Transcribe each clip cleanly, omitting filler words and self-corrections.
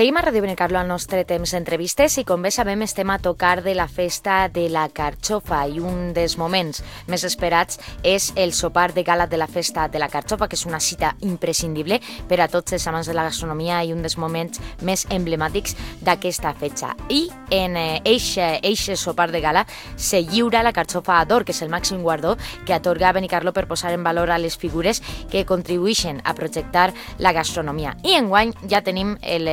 Seguim a Ràdio Benicarló al nostre temps d'entrevistes i com bé sabem estem a tocar de la festa de la carxofa i un dels moments més esperats és el sopar de gala de la festa de la carxofa, que és una cita imprescindible per a tots els amants de la gastronomia i un dels moments més emblemàtics d'aquesta festa. I en eixe sopar de gala se lliura la carxofa d'or, que és el màxim guardó que atorga Benicarló per posar en valor a les figures que contribueixen a projectar la gastronomia. I enguany ja tenim el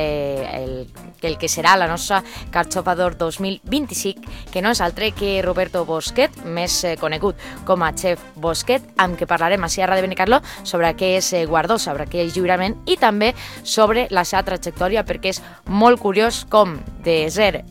que serà la nostra carxofa d'or 2025, que no és altre que Roberto Bosquet, més conegut com a Chef Bosquet, amb què parlarem així a Ràdio Benicarló sobre què és guardó, sobre què és lliurament i també sobre la seva trajectòria, perquè és molt curiós com de ser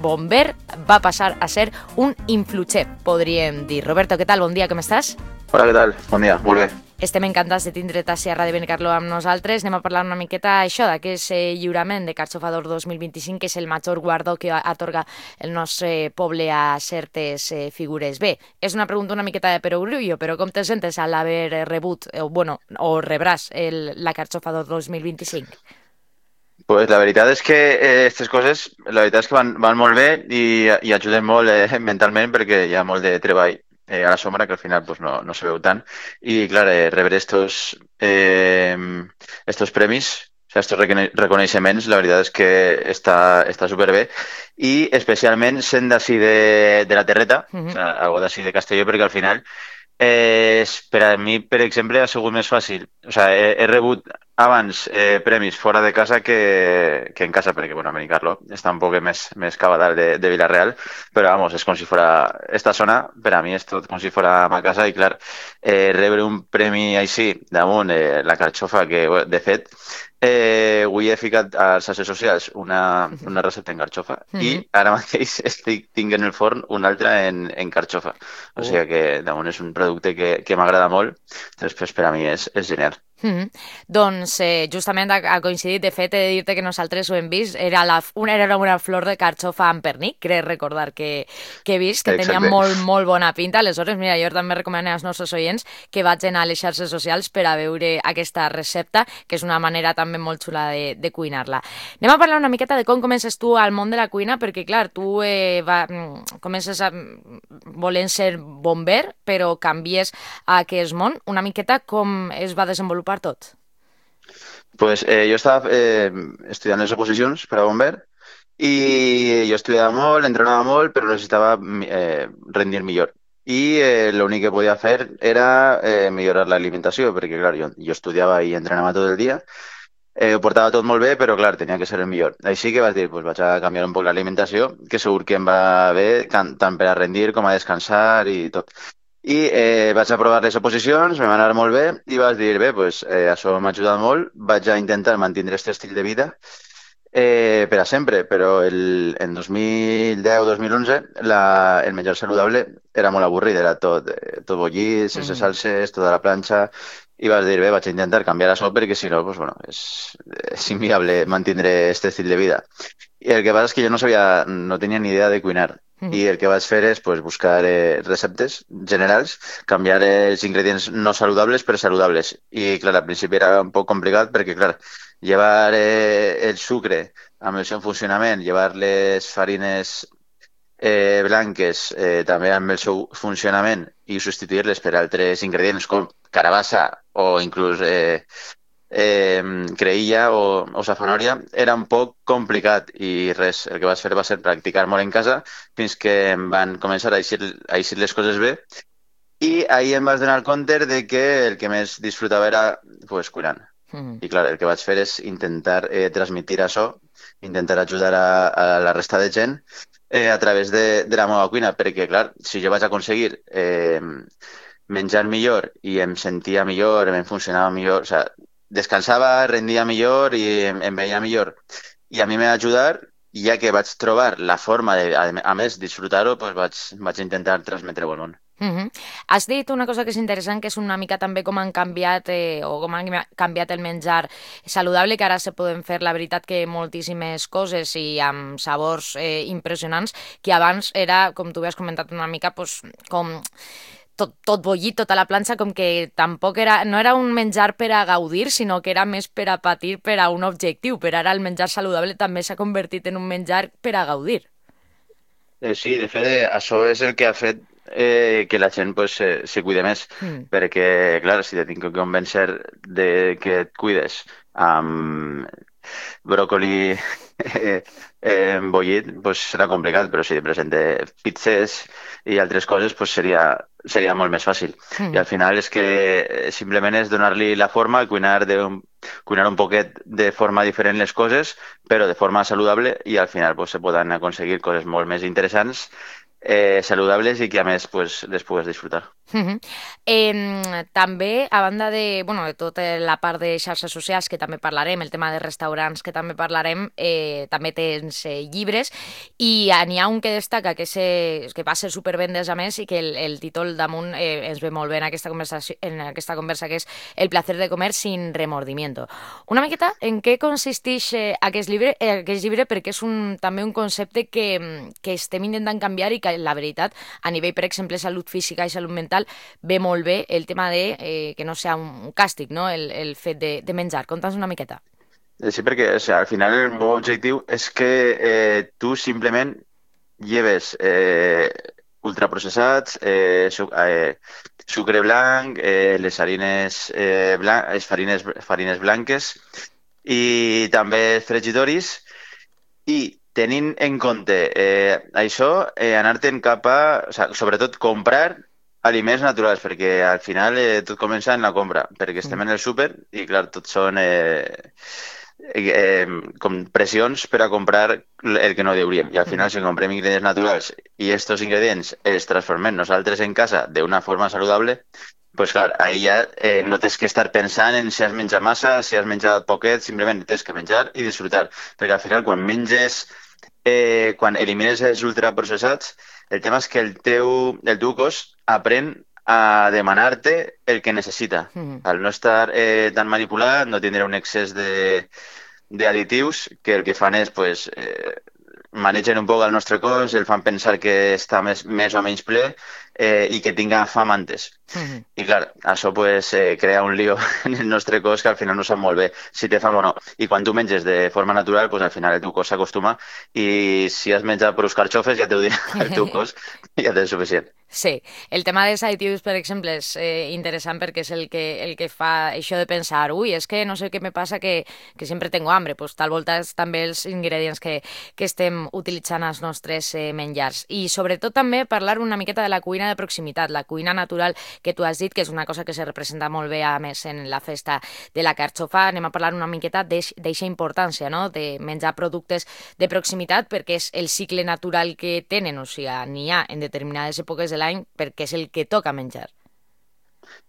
bomber va passar a ser un influchef, podríem dir. Roberto, què tal? Bon dia, com estàs? Hola, què tal? Bon dia, molt bé. Estem encantats de tindre't a Ràdio Benicarló amb nosaltres. Anem a parlar una miqueta això d'aquest lliurament de Carxofa d'Or 2025, que és el major guardó que atorga el nostre poble a certes figures. Bé, és una pregunta una miqueta de perogrullo, però com te sentes al haver rebut, o rebràs la Carxofa d'Or 2025? Pues la veritat és que aquestes coses, la veritat és que van molt bé i ajuden molt mentalment perquè hi ha molt de treball a la sombra que al final pues, no se veu tant. I, clar, rebre estos premis, o sea, estos reconeixements, la veritat és que està superbé. I especialment sent d'ací de la Terreta, o sea, algo d'ací de Castelló, perquè al final per a mi, per exemple, ha sigut més fàcil. O sea, he rebut abans premis fora de casa que en casa, perquè, bueno, a Benicarló està un poc més cava dalt de Villarreal, però, vamos, és com si fora esta zona, per a mi és tot com si fora ma casa, i, clar, rebre un premi així damunt la carxofa, que, de fet, avui he ficat als xarxes socials una recepta en carxofa i ara mateix tinc en el forn una altra en carxofa. O sigui que damunt és un producte que m'agrada molt, després per a mi és genial. Doncs justament ha coincidit, de fet he de dir-te que nosaltres ho hem vist, era una flor de carxofa amb pernil, crec recordar que he vist, que tenia molt bona pinta. Aleshores, mira, jo també recomano als nostres oients que vagin a les xarxes socials per a veure aquesta recepta, que és una manera també molt xula de cuinar-la. Anem a parlar una miqueta de com comences tu al món de la cuina, perquè clar, tu comences volent ser bomber, però canvies a aquest món. Una miqueta com es va desenvolupar tot? Pues jo estava estudiant les oposicions per a bomber i jo estudiava molt, entrenava molt, però necessitava rendir millor. I l'únic que podia fer era millorar l'alimentació, perquè clar, jo estudiava i entrenava tot el dia, ho portava tot molt bé, però clar, tenia que ser el millor. Així que vaig dir, pues, vaig a canviar un poc l'alimentació, que segur que em va bé tant per a rendir com a descansar i tot. I vaig a provar les oposicions, me va anar molt bé i vaig dir, bé, pues, això m'ha ajudat molt, vaig a intentar mantenir aquest estil de vida per a sempre, però en 2010-2011 el menjar saludable era molt avorrit, era tot bullit, sense salses, tota la planxa, i vaig dir, bé, vaig a intentar canviar això perquè si no, pues, bueno, és inviable mantenir aquest estil de vida. I el que passa és que jo no tenia ni idea de cuinar. I el que vaig fer és pues, buscar receptes generals, canviar els ingredients no saludables per saludables. I, clar, al principi era un poc complicat perquè, clar, llevar el sucre amb el seu funcionament, llevar les farines blanques també amb el seu funcionament i substituir-les per altres ingredients com carabassa o inclús creïlla o safanòria era un poc complicat i res, el que vaig fer va ser practicar molt en casa fins que em van començar a eixir les coses bé i ahir em vaig donar compte de que el que més disfrutava era pues, cuinant. I clar, el que vaig fer és intentar transmetre això, intentar ajudar a la resta de gent a través de la meva cuina, perquè clar, si jo vaig aconseguir menjar millor i em sentia millor, em funcionava millor, o sigui, descansava, rendia millor i em veia millor. I a mi m'ha ajudat, ja que vaig trobar la forma de, a més, disfrutar-ho, doncs vaig intentar transmetre-ho al món. Has dit una cosa que és interessant, que és una mica també com han canviat com han canviat el menjar saludable, que ara se poden fer, la veritat, que moltíssimes coses i amb sabors impressionants, que abans era, com tu has comentat una mica, com tot bullit, tota la planxa, com que tampoc no era un menjar per a gaudir, sinó que era més per a patir per a un objectiu, però ara el menjar saludable també s'ha convertit en un menjar per a gaudir. Sí, de fet, això és el que ha fet que la gent pues, se cuide més, Mm. perquè, clar, si te tinc que convèncer de que et cuides amb bròcoli bullit, pues serà complicat, però si te presente pizzas i altres coses, pues seria molt més fàcil. I Mm. al final és que simplement és donar-li la forma, cuinar un poquet de forma diferent les coses, però de forma saludable i al final pues, se poden aconseguir coses molt més interessants, saludables i que a més pues, les pugues disfrutar. Mhm. També, a banda de, bueno, de tota la part de xarxes socials, que també parlarem, el tema de restaurants, que també parlarem, també tens llibres, i n'hi ha un que destaca, que va ser supervendes a més, i que el títol damunt ens ve molt bé en aquesta conversa, que és El placer de comer sin remordimiento. Una miqueta, en què consisteix aquest llibre, perquè és també un concepte que estem intentant canviar i que, la veritat, a nivell, per exemple, salut física i salut mental, ve molt bé el tema de que no sea un càstig, no? El fet de menjar. Conta'ns una miqueta. Sí, perquè o sea, al final el meu objectiu és que tu simplement lleves ultraprocessats, sucre blanc, les harines, farines blanques i també fregitoris i tenint en compte això, anar-te'n cap a, o sea, sobretot comprar aliments naturals, perquè al final tot comença en la compra, perquè estem Mm. en el súper i clar, tot són com pressions per a comprar el que no hauríem. I al final, Mm. si comprem ingredients naturals i estos ingredients els transformem nosaltres en casa d'una forma saludable, pues clar, ahí ja no tens que estar pensant en si has menjat massa, si has menjat poquet, simplement tens que menjar i disfrutar. Perquè al final, quan elimines els ultraprocessats, el tema és que el teu cos aprèn a demanar-te el que necessita. Mm. Al no estar tan manipulat, no tindrà un excés d'additius que el que fan és pues, manegen un poc el nostre cos, el fan pensar que està més o menys ple i que tinga fam antes. Mm. I clar, això pues, crea un lío en el nostre cos que al final no sap molt bé si té fam o no. I quan tu menges de forma natural, pues, al final el teu cos s'acostuma i si has menjat per carxofes ja t'ho dirà el teu cos i ja tens suficient. Sí, el tema dels additius, per exemple, és interessant perquè és el que fa això de pensar, ui, és que no sé què me passa que sempre tengo hambre, pues tal volta és també els ingredients que estem utilitzant als nostres menjars. I sobretot també parlar una miqueta de la cuina de proximitat, la cuina natural que tu has dit, que és una cosa que se representa molt bé, a més, en la festa de la carxofa. Anem a parlar una miqueta d'eixa importància, no?, de menjar productes de proximitat perquè és el cicle natural que tenen, o sigui, n'hi ha en determinades èpoques de l'any perquè és el que toca menjar.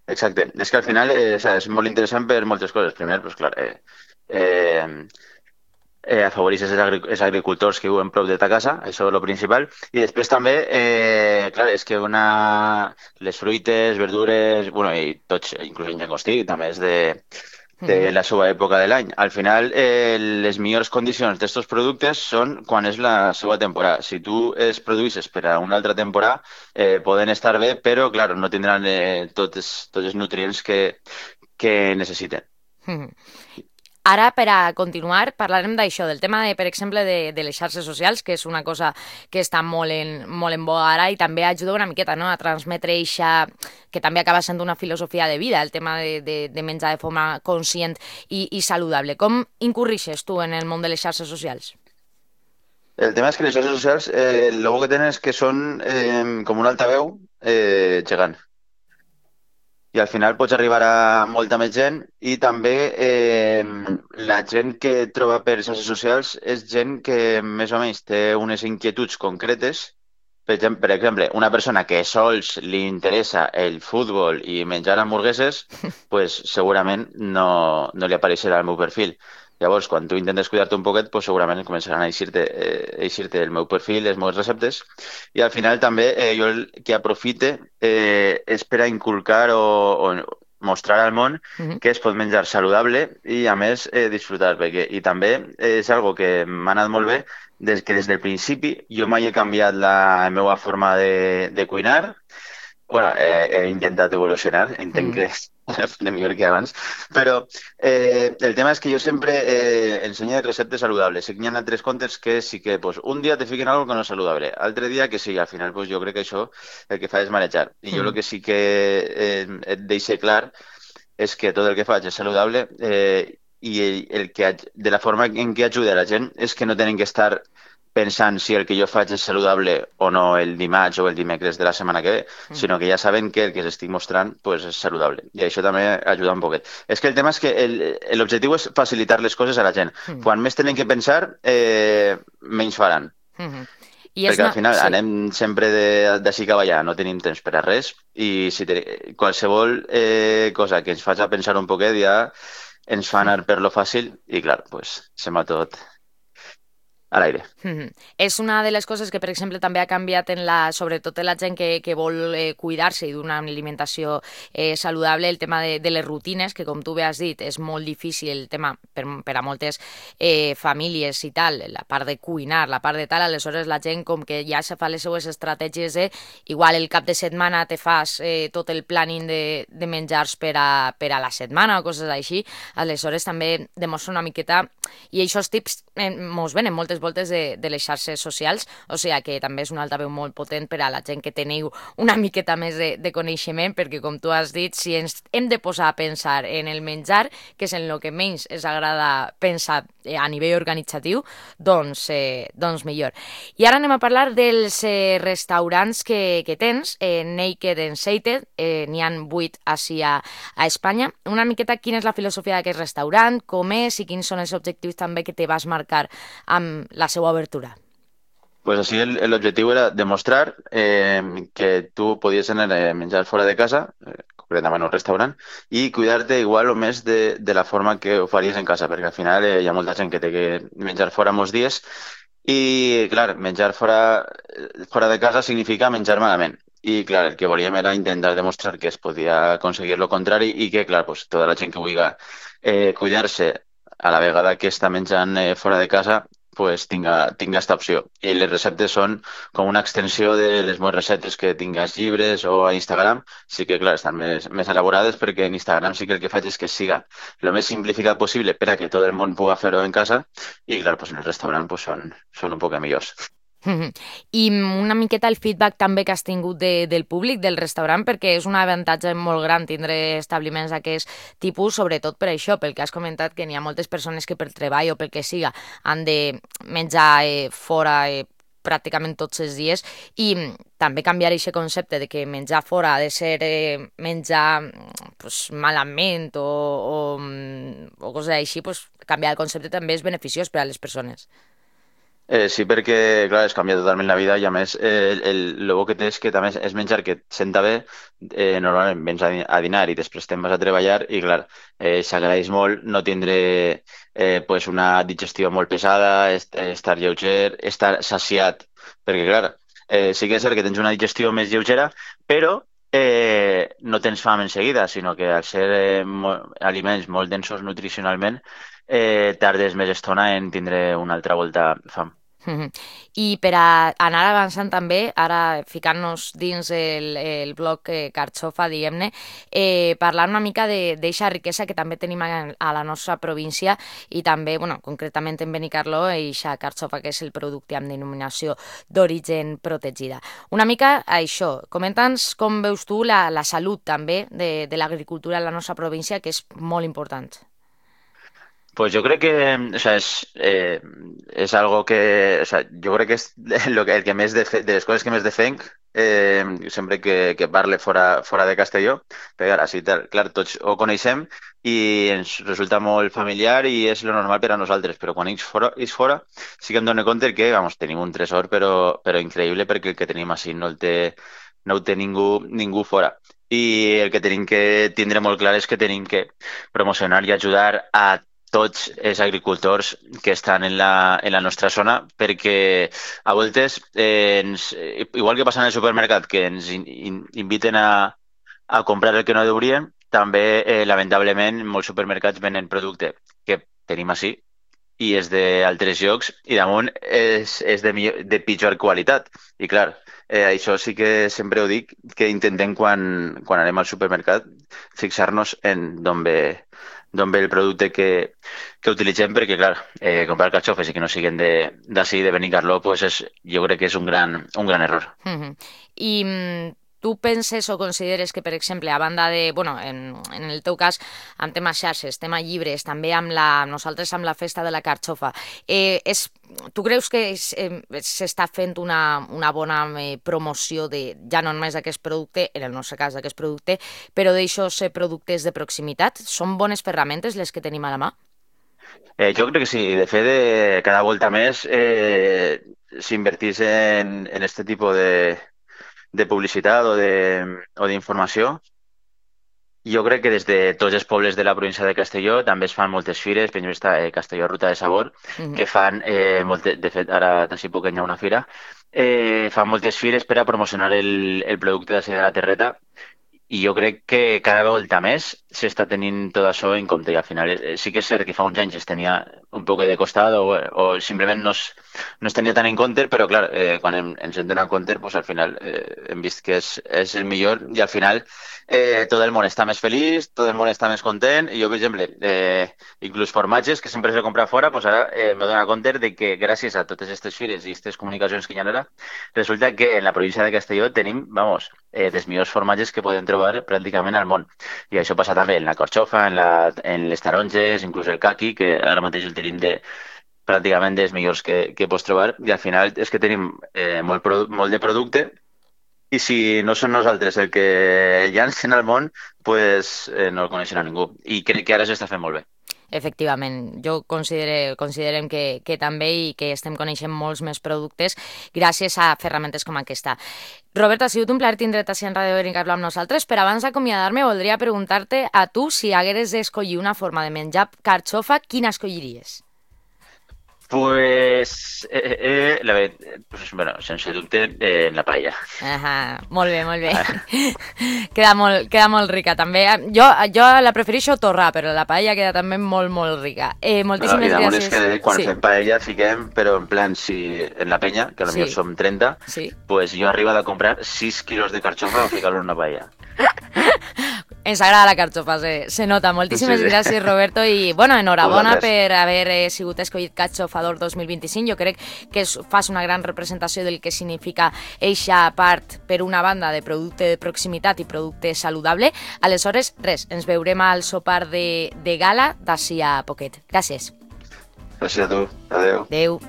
Exacte. És que al final o sea, és molt interessant per moltes coses. Primer, pues, clar, eh, afavoreixes els agricultors que viuen prop de ta casa, això és el principal. I després també, clar, és que les fruites, verdures, bueno, i tots, inclús el llagostí, també és de Mhm. la seva època de l'any. Al final, les millors condicions d'aquests productes són quan és la seva temporada. Si tu es produïsses per a una altra temporada, poden estar bé, però, clar, no tindran tots els nutrients que necessiten. Mhm. Ara, per a continuar, parlarem d'això, del tema, per exemple, de les xarxes socials, que és una cosa que està molt en boga ara i també ajuda una miqueta, no?, a transmetre eixa, que també acaba sent una filosofia de vida, el tema de menjar de forma conscient i saludable. Com incurrixes tu en el món de les xarxes socials? El tema és que les xarxes socials, el bo que tenen és que són com un altaveu gegant. I al final pots arribar a molta més gent i també la gent que et troba per xarxes socials és gent que més o menys té unes inquietuds concretes. Per exemple, una persona que sols li interessa el futbol i menjar hamburgueses, pues segurament no li apareixerà el meu perfil. Llavors, quan tu intentes cuidar-te un poquet, pues segurament començaran a eixir-te el meu perfil, les meves receptes, i al final també jo el que aprofite és per a inculcar o mostrar al món Mhm. que es pot menjar saludable i a més disfrutar, i també és algo que m'ha anat molt bé des del principi jo mai he canviat la meva forma de cuinar Bueno, he intentat evolucionar, entenc Mm, que de millor que abans, però el tema és que jo sempre ensenyo receptes saludables. Sé que hi ha altres contes que sí que pues, un dia te fiquen algo que no és saludable, altre dia que sí, al final pues, jo crec que això el que fa és marejar. I jo el mm, que sí que et deixe clar és que tot el que faig és saludable i de la forma en què ajuda la gent és que no tenen que estar pensant si el que jo faig és saludable o no el dimarts o el dimecres de la setmana que ve, mm, sinó que ja saben que el que els estic mostrant pues, és saludable. I això també ajuda un poquet. És que el tema és que l'objectiu és facilitar les coses a la gent. mm, Quan més tenen que pensar, menys faran. mm. I és Perquè al una... final Sí. anem sempre d'ací cap allà, no tenim temps per a res i si qualsevol cosa que ens faci pensar un poquet ja ens fa anar per lo fàcil i clar, pues, se'n va tot a l'aire. És una de les coses que, per exemple, també ha canviat sobretot en la gent que vol cuidar-se i d'una alimentació saludable, el tema de les rutines, que com tu bé has dit, és molt difícil el tema per a moltes famílies i tal, la part de cuinar, la part de tal, aleshores la gent com que ja se fa les seues estratègies de, igual el cap de setmana te fas tot el planning de menjars per a la setmana o coses així, aleshores també demostra una miqueta, i aquests tips mos venen moltes voltes de les xarxes socials, o sigui que també és un altaveu molt potent per a la gent que teniu una miqueta més de coneixement, perquè com tu has dit, si ens hem de posar a pensar en el menjar, que és en el que menys ens agrada pensar a nivell organitzatiu, doncs millor. I ara anem a parlar dels restaurants que tens, Naked and Sated, n'hi han 8 així a Espanya. Una miqueta quina és la filosofia d'aquest restaurant, com és i quins són els objectius també que te vas marcar amb la seva obertura. Pues así el objetivo era demostrar que tú podías tener menjar fora de casa, concretament en un restaurant, i cuidar-te igual o més de la forma que ho faries en casa, perquè al final hi ha molta gent que té que menjar fora molts dies i, clar, menjar fora de casa significa menjar malament. I, clar, el que volíem era intentar demostrar que es podia aconseguir lo contrari i que, clar, pues, tota la gent que vulgui cuidar-se a la vegada que està menjant fora de casa pues tinga esta opció. I les receptes són com una extensió de les meves receptes que tinc als llibres o a Instagram. Sí que, clar, estan més elaborades perquè en Instagram sí que el que faig és que siga el més simplificat possible per a que tot el món pugui fer-ho en casa i, clar, pues en el restaurant pues són un poc millors. I una miqueta el feedback també que has tingut del públic del restaurant, perquè és un avantatge molt gran tindre establiments d'aquest tipus, sobretot per això, pel que has comentat que n'hi ha moltes persones que per treball o pel que siga han de menjar fora pràcticament tots els dies i també canviar aquest concepte de que menjar fora ha de ser menjar pues, malament o coses així, pues, canviar el concepte també és beneficiós per a les persones. Sí, perquè, clar, es canvia totalment la vida i, a més, el bo que té és que també és menjar que et senta bé. Normalment vens a dinar i després te'n vas a treballar i, clar, s'agraeix molt no tindre pues una digestió molt pesada, estar lleuger, estar saciat, perquè, clar, sí que és cert que tens una digestió més lleugera, però no tens fam en seguida, sinó que al ser aliments molt densos nutricionalment, tardes més estona en tindre una altra volta fam. I per a anar avançant també, ara ficant-nos dins el bloc Carxofa, diguem-ne, parlar una mica d'eixa riquesa que també tenim a la nostra província i també, bueno, concretament en Benicarló, eixa Carxofa que és el producte amb denominació d'origen protegida. Una mica això, comenta'ns com veus tu la salut també de l'agricultura en la nostra província, que és molt important. Pues yo creo que, o sea, es algo que, o sea, yo creo que es el que més de les coses que més defenc sempre que parle fora de Castelló, però ara sí, clar, tots ho coneixem i ens resulta molt familiar i és lo normal per a nosaltres, però quan és fora sí que em dono compte que, vamos, tenim un tresor però increïble perquè el que tenim així no ho té ningú fora. I el que tenim que tindre molt clar és que tenim que promocionar i ajudar a tots els agricultors que estan en la nostra zona, perquè a voltes, igual que passa en el supermercat, que ens inviten a comprar el que no deurien, també, lamentablement, molts supermercats venen producte que tenim així i és d'altres llocs i damunt és de pitjor qualitat. I clar, això sí que sempre ho dic, que intentem quan anem al supermercat fixar-nos en d'on ve el producte que utilitzem, perquè clar, comprar carxofes i que no siguin d'ací, de Benicarló, pues jo crec que és un gran error. I tu penses o consideres que, per exemple, a banda de, bueno, en el teu cas, amb temes xarxes, tema llibres, també nosaltres amb la festa de la carxofa, tu creus que s'està fent una bona promoció de, ja no només d'aquest producte, en el nostre cas d'aquest producte, però d'aixòs productes de proximitat? Són bones ferramentes les que tenim a la mà? Jo crec que sí. De fet, cada volta més s'invertís en este tipus de publicitat o d'informació. Jo crec que des de tots els pobles de la província de Castelló també es fan moltes fires, per exemple està Castelló Ruta de Sabor, que fan, de fet ara d'ací poc hi ha una fira, fan moltes fires per a promocionar el producte d'ací de la terreta i jo crec que cada volta més s'està tenint tot això en compte i al final sí que és cert que fa uns anys es tenia un poc de costat o simplement no es tenia tant en compte, però clar, quan ens hem donat compte, pues, al final hem vist que és el millor i al final tot el món està més feliç, tot el món està més content i jo, per exemple, inclús formatges que sempre s'he comprat fora, pues ara m'he donat compte de que gràcies a totes aquestes fires i aquestes comunicacions que hi ha ara, resulta que en la província de Castelló tenim, vamos, dels millors formatges que podem trobar pràcticament al món. I això passa també en la corxofa, en les taronges, inclús el caqui, que ara mateix el tenim pràcticament dels millors que pots trobar. I al final és que tenim molt de producte i si no són nosaltres el que llancen al món, pues no el coneixen a ningú. I crec que ara s'està fent molt bé. Efectivament, jo considerem que també i que estem coneixent molts més productes gràcies a ferramentes com aquesta. Roberto, ha sigut un plaer tindre't així en Ràdio Benicarló amb nosaltres, però abans d'acomiadar-me voldria preguntar-te a tu si hagueres d'escollir una forma de menjar carxofa, quina escolliries? Pues, la veritat, pues, bueno, sense dubte, la paella. Molt bé, molt bé. Queda molt rica, també. Jo la prefereixo torrar, però la paella queda també molt, molt rica. Moltíssimes gràcies. És que quan fem paella fiquem, però en plan, si en la penya, que potser som 30, pues jo arribo a comprar 6 quilos de carxofa a ficar-lo en una paella. Ens agrada la carxofa, se nota. Moltíssimes gràcies, Roberto, i bueno, enhorabona per haver sigut escollit Carxofador 2025. Jo crec que fas una gran representació del que significa eixa part, per una banda, de producte de proximitat i producte saludable. Aleshores, res, ens veurem al sopar de gala d'ací a poquet. Gràcies. Gràcies a tu. Adéu. Adéu.